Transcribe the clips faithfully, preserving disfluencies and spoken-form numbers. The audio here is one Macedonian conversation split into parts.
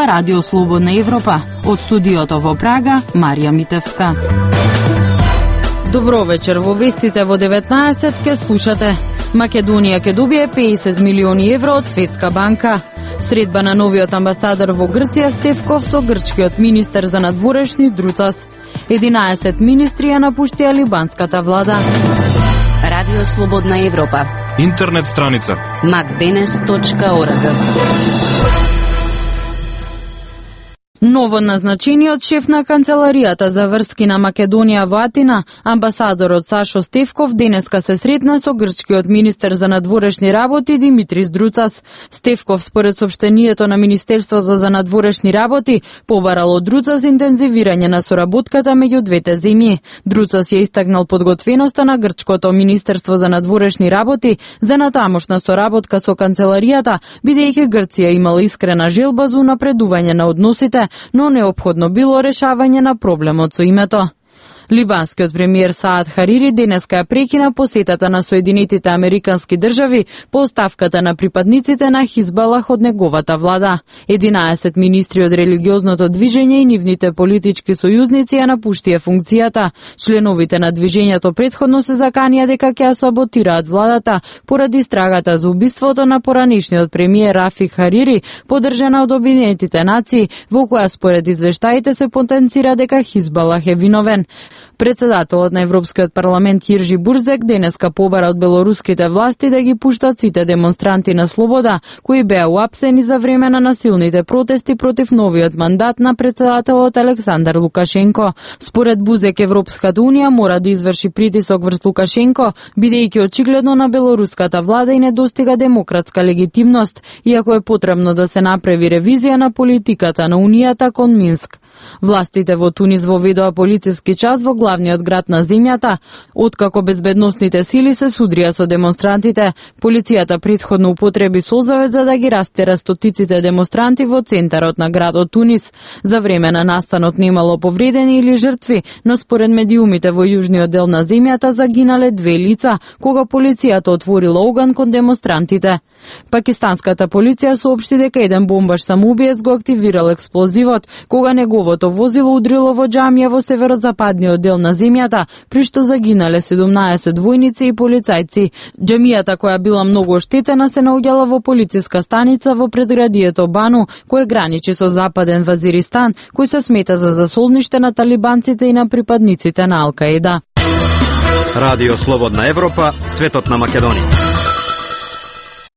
Радио Слободна Европа. Од студиото во Прага, Марија Митевска. Добро вечер, во вестите во деветнаесет ке слушате. Македонија ќе добие педесет милиони евро од Светска банка. Средба на новиот амбасадор во Грција Стефков со грчкиот министер за надворешни Друцас. единаесет министри ја напуштија либанската влада. Радио Слободна Европа. Интернет страница макденес точка орг. Ново назначениот шеф на канцеларијата за врски на Македонија во Атина, амбасадорот Сашо Стефков, денеска се сретна со грчкиот министер за надворешни работи Димитрис Друцас. Стефков, според соопштението на Министерството за надворешни работи, побарал од Друцас интензивирање на соработката меѓу двете земји. Друцас ја истакнал подготвеноста на грчкото Министерство за надворешни работи за натамошна соработка со канцеларијата, бидејќи Грција имала искрена желба за унапредување на односите, но неопходно било решавање на проблемот со името. Либанскиот премиер Саад Харири денеска ја прекина посетата на Соединетите Американски држави по оставката на припадниците на Хизбалах од неговата влада. единаесет министри од религиозното движење и нивните политички сојузници ја напуштија функцијата. Членовите на движењето претходно се заканија дека ќе ја саботираат владата поради истрагата за убиството на поранешниот премиер Рафик Харири, поддржана од Обединетите нации, во која според извештаите се потенцира дека Хизбалах е виновен. Председателот на Европскиот парламент Јиржи Бурзек денеска побара од белоруските власти да ги пуштат сите демонстранти на слобода, кои беа уапсени за време на насилните протести против новиот мандат на председателот Александар Лукашенко. Според Бузек, Европската унија мора да изврши притисок врз Лукашенко, бидејќи очигледно на белоруската влада и не достига демократска легитимност, иако е потребно да се направи ревизија на политиката на Унијата кон Минск. Властите во Тунис воведоа полициски час во главниот град на земјата, откако безбедносните сили се судрија со демонстрантите. Полицијата претходно употреби созавет за да ги растера стотиците демонстранти во центарот на градот Тунис. За време на настанот немало повредени или жртви, но според медиумите во јужниот дел на земјата загинале две лица, кога полицијата отворила оган кон демонстрантите. Пакистанската полиција соопшти дека еден бомбаш самоубиец го активирал експлозивот, кога неговото возило удрило во џамија во северозападниот дел на земјата, при што загинале седумнаесет војници и полицајци. Џамијата, која била многу оштетена, се наоѓала во полициска станица во предградието Бану, кое граничи со западен Вазиристан, кој се смета за засолниште на талибанците и на припадниците на Ал-Каида. Радио Слободна Европа, светот на Македонија.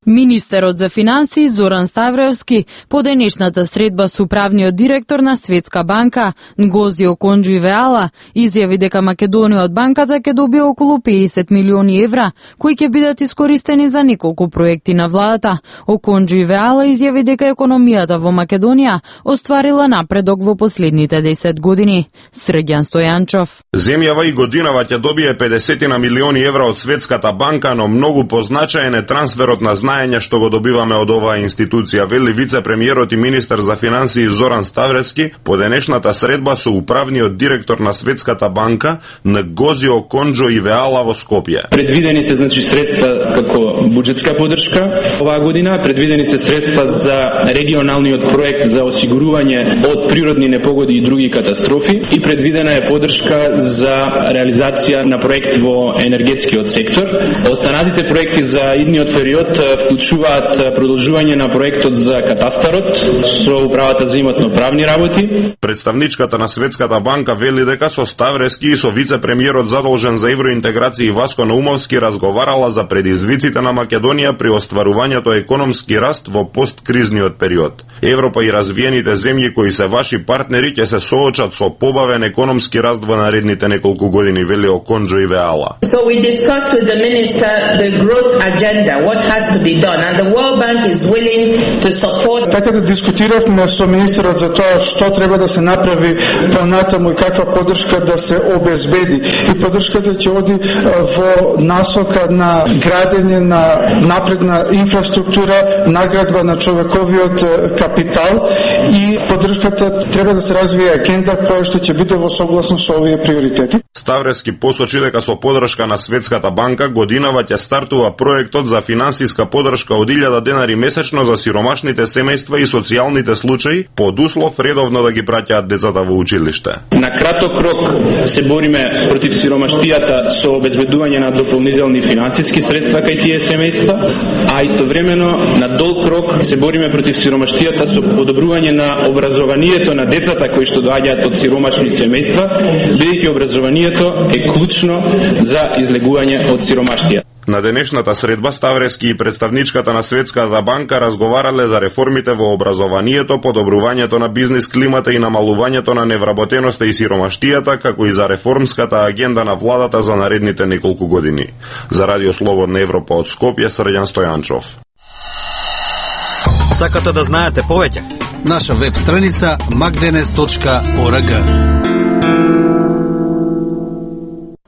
Министерот за финансии Зоран Ставревски по денешната средба со управниот директор на Светска банка Нгози Оконџо-Ивеала изјави дека Македонија од банката ќе добие околу педесет милиони евра, кои ќе бидат искористени за неколку проекти на владата. Оконџо-Ивеала изјави дека економијата во Македонија остварила напредок во последните десет години. Срđan Стојанчов. Земјава и годинава ќе добие педесет милиони евра од Светската банка, но многу позначаен е трансферот на знаење што го добиваме од оваа институција, вели вице-премиерот и министер за финансии Зоран Ставревски по денешната средба со управниот директор на Светската банка Нгози Оконџо-Ивеала во Скопје. Предвидени се значи средства како буџетска поддршка оваа година, предвидени се средства за регионалниот проект за осигурување од природни непогоди и други катастрофи и предвидена е поддршка за реализација на проект во енергетскиот сектор. Останатите проекти за идниот период вклучуваат продолжување на проектот за катастарот со управата за имотно-правни работи. Представничката на Светската банка вели дека со Ставревски и со вице-премиерот задолжен за евроинтеграција Васко Наумовски разговарала за предизвиците на Македонија при остварувањето економски раст во посткризниот период. Европа и развиените земји кои се ваши партнери ќе се соочат со побавен економски раст во наредните неколку години, вели Оконџо-Ивеала. So we discussed with the minister the growth agenda, what has to be done, and the World Bank is willing to support. Така да дискутиравме со министерот за тоа што треба да се направи понатаму и каква поддршка да се обезбеди. И поддршката ќе оди во насока на градење на напредна инфраструктура, наградба на човековиот капацитет капитал и поддршката треба да се развие агенда која што ќе биде во согласно со овие приоритети. Ставрески посочи дека со поддршка на Светската банка годинава ќе стартува проектот за финансиска поддршка од илјада денари месечно за сиромашните семејства и социјалните случаи под услов редовно да ги праќаат децата во училиште. На краток рок се бориме против сиромаштијата со обезбедување на дополнителни финансиски средства кај тие семејства, а истовремено на долг рок се бориме против сиромаштијата со подобрување на образованието на децата кои што доаѓаат од сиромашни семејства, бидејќи образованието е клучно за излегување од сиромаштија. На денешната средба Ставрески и представничката на Светската банка разговарале за реформите во образованието, подобрувањето на бизнис климата и намалувањето на невработеноста и сиромаштијата, како и за реформската агенда на владата за наредните неколку години. За Радио Слободна Европа од Скопје, Срđan Стојанчов. Сакате да знаете повеќе? Наша веб страница макденес точка орг.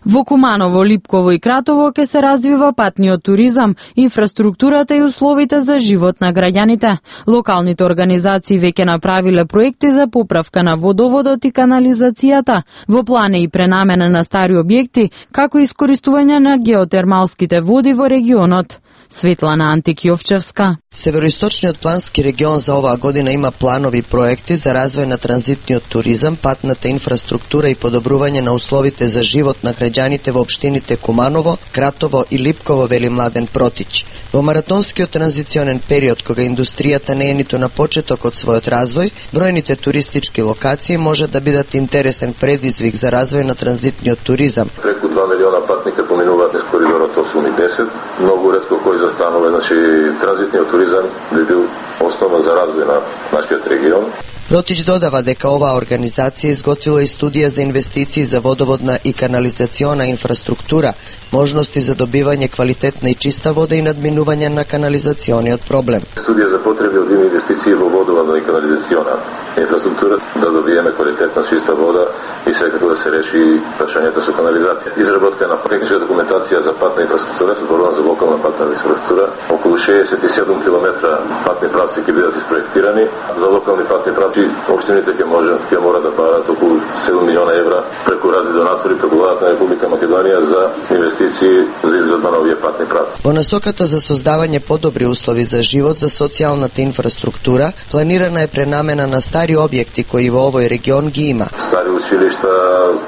Во Куманово, Липково и Кратово ќе се развива патниот туризам, инфраструктурата и условите за живот на граѓаните. Локалните организации веќе направиле проекти за поправка на водоводот и канализацијата, во план е и пренамена на стари објекти, како и искористување на геотермалските води во регионот. Светлана Антик-Јовчевска. Североисточниот плански регион за оваа година има планови проекти за развој на транзитниот туризам, патната инфраструктура и подобрување на условите за живот на граѓаните во општините Куманово, Кратово и Липково, вели Младен Протич. Во маратонскиот транзиционен период, кога индустријата не е ниту на почеток од својот развој, бројните туристички локации може да бидат интересен предизвик за развој на транзитниот туризам. Преку два милиона патника поминуваат низ коридорот осум и десет, многу ретко кој застанува, значи транзитниот туризам би бил основа за развој на нашиот регион. Протич додава дека оваа организација изготвила и студија за инвестиции за водоводна и канализациона инфраструктура, можности за добивање квалитетна и чиста вода и надминување на канализациониот проблем. Студија за потреби од инвестиции во водоводна и канализациона инфраструктура, да добиеме квалитетна чиста вода и секако да се реши прашањето со канализација. Изработка на техничка документација за патна инфраструктура, зборувам за локална патна инфраструктура, околу шеесет и седум километра патни правци ќе бидат испроектирани. За локални патни правци општините ќе може ќе мора да барат околу седум милиона евра преку разни донатори, преку владата на Република Македонија за инвестиции за изградба на овие патни правци. Во насоката за создавање подобри услови за живот за социјалната инфраструктура, планирана е пренамена на стари објекти кои во овој регион ги има. Стари училишта,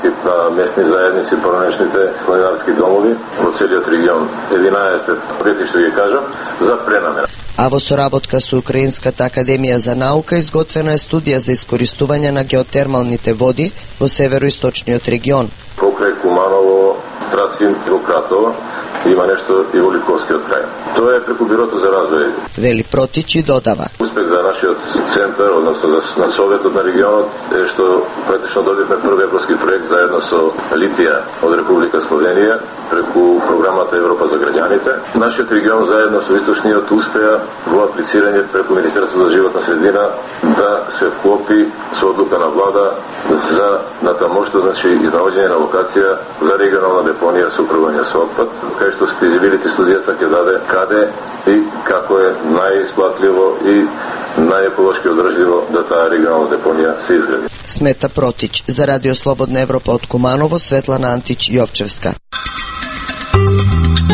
тип на местни заедници, поранешните планинарски домови во целиот регион. единаесет објекти што ги кажам за пренамена. А во соработка со Украинската академија за наука изготвена е студија за искористување на геотермалните води во североисточниот регион. Покрај Куманово, Страцин, во Кратово има нешто и во Липковскиот крај. Тоа е преку Бирото за развој. Вели Протич и додава. Успех за нашиот центар, односно за на Советот на регионот, е што практично добивме први европски проект заедно со Литија од Република Словенија преку програмата Европа за граѓаните. Нашиот регион заедно со Источниот успеа во аплицирање преку Министерството за животна средина да се вклопи со одлука на влада за натамошто, значи изнаоѓање на локација за регионална депонија со управување со отпад, кај што физибилити студијата ќе даде каде и како е најисплатливо и најеколошки одржливо да таа регионална депонија се изгради. Смета Протич. За Радио Слободна Европа од Куманово, Светлана Антич-Јовчевска.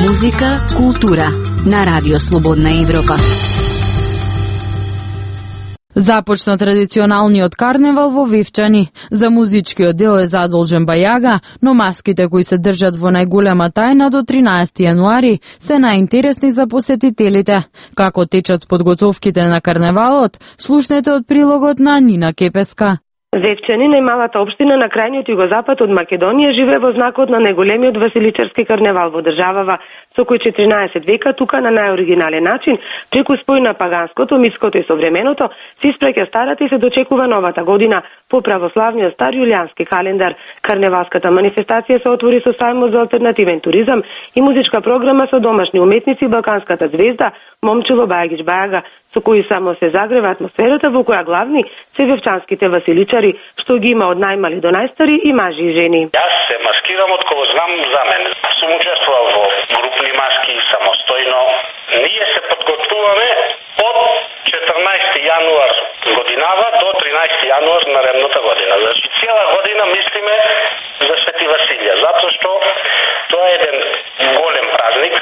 Музика, култура на Радио Слободна Европа. Започна традиционалниот карневал во Вивчани. За музичкиот дел е задолжен Бајага, но маските кои се држат во најголема тајна до тринаесети јануари се најинтересни за посетителите. Како течат подготовките на карневалот, слушнете од прилогот на Нина Кепеска. Вевчани, најмалата општина на крајниот југозапад од Македонија, живее во знакот на најголемиот василичарски карневал во државава, со кој четиринаесет века тука на најоригинален начин, преку спој на паганското, митското и современото, се испраќа старата и се дочекува новата година по православниот стар јулијански календар. Карневалската манифестација се отвори со сајмот за алтернативен туризам и музичка програма со домашни уметници, балканската звезда Момчило Бајагич Бајага, со кои само се загрева атмосферата во која главни се вевчанските василичари, што ги има од најмали до најстари и мажи и жени. Јас се маскирам од кога знам за мене. Сум учествувал во групни маски самостојно. Ние се подготвуваме од четрнаесети јануар јануар наредната година. Значи, цела година мислиме за Свети Василија, затоа што тоа е еден голем празник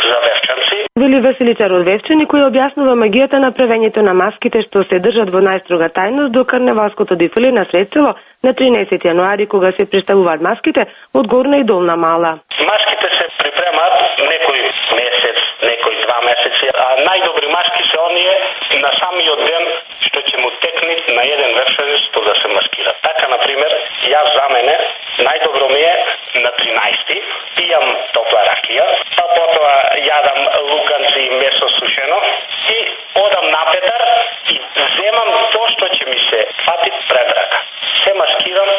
за вевчанци. Вели Василичар од Вевчани, кој објаснува магијата на правењето на маските што се држат во најстрога тајност до карневалското дефиле на Средцево на тринаесети јануари, кога се представуваат маските од Горна и Долна Мала. Маските се припремаат некој месец, некој два месеци, а најдобри маски се оние на самиот ден што ќе му текне на еден вевчанец што да се маскира. Така, например, јас за мене најдобро ми е на тринаесети, пијам топла ракија, па потоа јадам луканци и месо сушено и одам на Петар и земам тоа што ќе ми се фати пред рака. Се маскирам,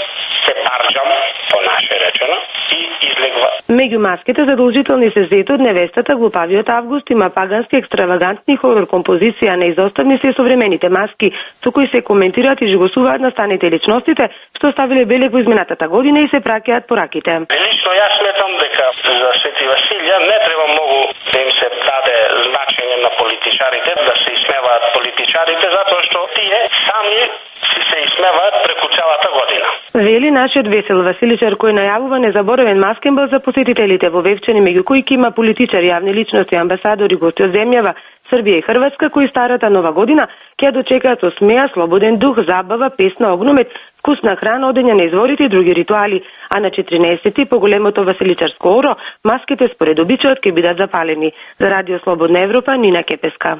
се парџам, по наше речено, и излегва. Меѓу маските задолжителни се зето од невестата, глупавиот Август, има пагански екстравагантни хорор композиција, неизоставни се современите маски, со кои се коментираат и жигосуваат настаните личностите, што оставиле белег во изминатата година и се праќаат пораките. Лично јас сметам дека за Свети Василија не треба многу да им се даде значење на политичарите, да се исмеваат политичарите, затоа што тие сами си се исмеваат преку целата година. Вели нашиот Весел Василичар, кој најавува незаборавен маскенбал за посетителите во Вевчани, меѓу кои има политичари, јавни личности, амбасадори, гости од земјава, Србија и Хрватска, кои старата нова година ќе ја дочекаат со смеа, слободен дух, забава, песна, огномет, вкусна храна, одење на изворите и други ритуали. А на четиринаесети, по големото Василичарско оро, маските според обичајот ќе бидат запалени. За Радио Слободна Европа, Нина Кепеска.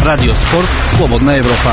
Радио Спорт, Слободна Европа.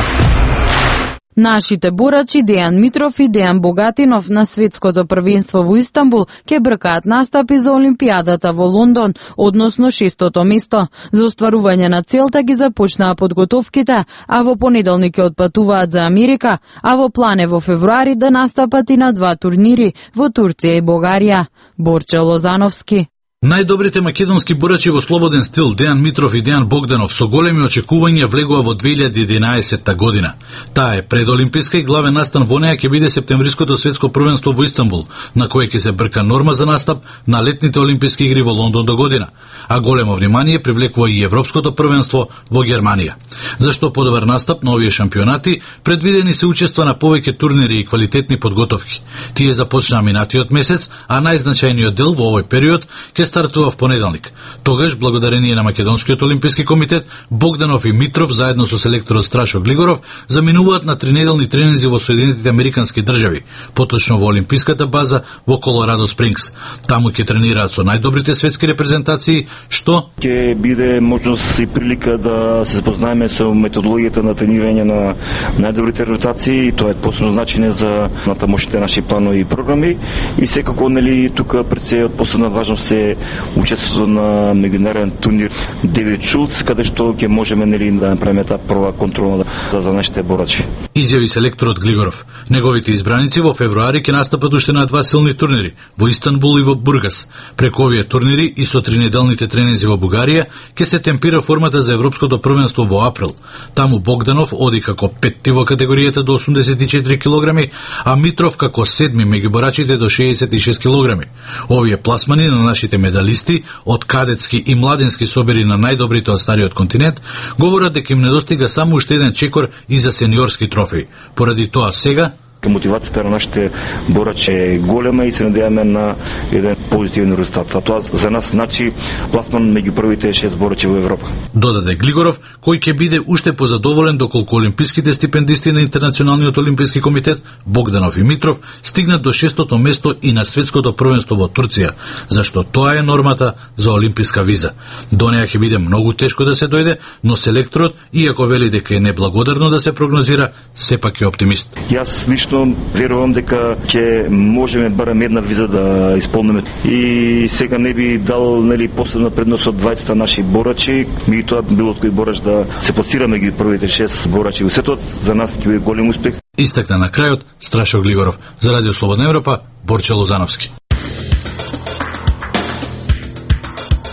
Нашите борачи Дејан Митров и Дејан Богатинов на светското првенство во Истанбул ќе бркаат настапи за Олимпијадата во Лондон, односно шестото место. За остварување на целта ги започнаа подготовките, а во понеделник ќе отпатуваат за Америка, а во план е во февруари да настапат и на два турнири во Турција и Бугарија. Борче Лозановски. Најдобрите македонски борачи во слободен стил Дејан Митров и Дејан Богданов со големи очекувања влегува во две илјади и единаесетта година. Таа е предолимписка и главен настан во неа ќе биде септемвриското светско првенство во Истанбул, на кое ќе се брка норма за настап на летните олимписки игри во Лондон до година, а големо внимание привлекува и европското првенство во Германија. Зашто подобар настап на овие шампионати, предвидени се учества на повеќе турнири и квалитетни подготовки. Тие започнаа минатиот месец, а најзначајниот дел во овој период ќе стартува в понеделник. Тогаш, благодарение на Македонскиот олимписки комитет, Богданов и Митров заедно со селекторот Страшо Глигоров заминуваат на тринеделни тренинзи во Соединетите американски држави, поточно во олимписката база во Колорадо Спрингс. Таму ќе тренираат со најдобрите светски репрезентации, што ќе биде можност и прилика да се запознаеме со методологијата на тренирање на најдобрите ротации, и тоа е посебно значење за натамошните наши планови и програми, и секако нели тука пред се од посебна важност е учеството на меѓународен турнир Девид Шулц, каде што ќе можеме нели да направиме таа прва контрола за нашите борачи. Изјави селекторот Глигоров. Неговите избраници во февруари ќе настапат уште на два силни турнири во Истанбул и во Бургас. Преку овие турнири и со тринеделните тренинзи во Бугарија ќе се темпира формата за европското првенство во април. Таму Богданов оди како петти во категоријата до осумдесет и четири килограми, а Митров како седми меѓу борачите до шеесет и шест килограми. Овие пласмани на нашите медалисти од кадетски и младински собери на најдобрите од стариот континент говорат дека им недостига само уште еден чекор и за сениорски трофеи. Поради тоа сега мотивацијата на нашите борачи е голема и се надеваме на еден позитивен резултат. А тоа за нас значи пласман меѓу првите шест борачи во Европа. Додаде Глигоров, кој ќе биде уште позадоволен доколку олимписките стипендисти на Интернационалниот олимписки комитет Богданов и Митров стигнат до шестото место и на светското првенство во Турција, зашто тоа е нормата за олимписка виза. До неа ќе биде многу тешко да се дојде, но селекторот, иако вели дека е неблагодарно да се прогнозира, сепак е оптимист. Јас лично верувам дека ќе можеме барем една виза да исполниме, и сега не би дал нели посебна предност од дваесет наши борачи, меѓутоа било кој борач да се пласира меѓу првите шест борачи во светот, за нас ќе биде голем успех. Истакна на крајот Страшо Глигоров. За Радио Слободна Европа, Борче Лозановски.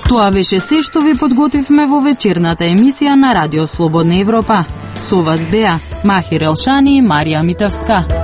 Тоа беше се што ви подготвивме во вечерната емисија на Радио Слободна Европа. Со вас беа Махир Елшани и Марија Митевска.